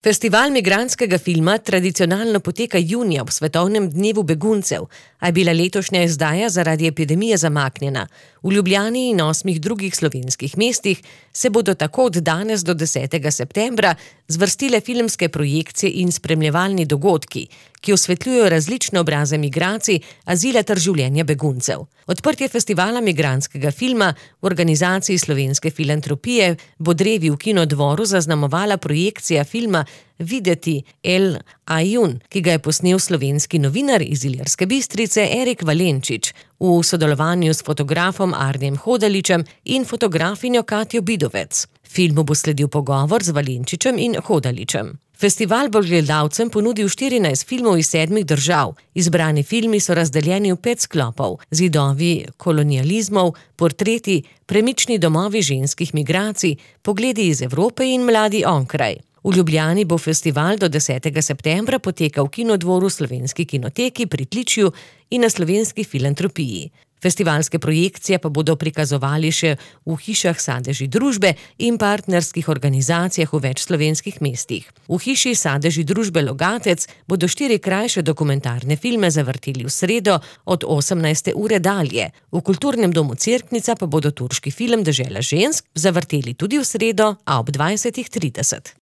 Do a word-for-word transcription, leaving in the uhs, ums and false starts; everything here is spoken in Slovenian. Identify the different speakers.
Speaker 1: Festival migrantskega filma tradicionalno poteka junija ob svetovnem dnevu beguncev, a je bila letošnja izdaja zaradi epidemije zamaknjena. V Ljubljani in osmih drugih slovenskih mestih se bodo tako od danes do desetega septembra zvrstile filmske projekcije in spremljevalni dogodki, ki osvetljujejo različne obraze migracij, azila ter življenja beguncev. Odprtje festivala migrantskega filma v organizaciji Slovenske filantropije bo drevi v Kinodvoru zaznamovala projekcija filma Videti El Ajun, ki ga je posnel slovenski novinar iz Ilirske Bistrice Erik Valenčič v sodelovanju s fotografom Arnem Hodaličem in fotografinjo Katjo Bidovec. Filmu bo sledil pogovor z Valenčičem in Hodaličem. Festival bo gledalcem ponudil štirinajst filmov iz sedmih držav. Izbrani filmi so razdeljeni v pet sklopov: Zidovi kolonializmov, Portreti, Premični domovi ženskih migracij, Pogledi iz Evrope in Mladi onkraj. V Ljubljani bo festival do desetega septembra potekal v Kinodvoru, Slovenski kinoteki, Pritličju in na Slovenski filantropiji. Festivalske projekcije pa bodo prikazovali še v hišah Sadeži družbe in partnerskih organizacijah v več slovenskih mestih. V hiši Sadeži družbe Logatec bodo štiri krajše dokumentarne filme zavrteli v sredo od osemnajste ure dalje. V Kulturnem domu Cerknica pa bodo turški film Dežela žensk zavrteli tudi v sredo, a ob dvajsetih trideset.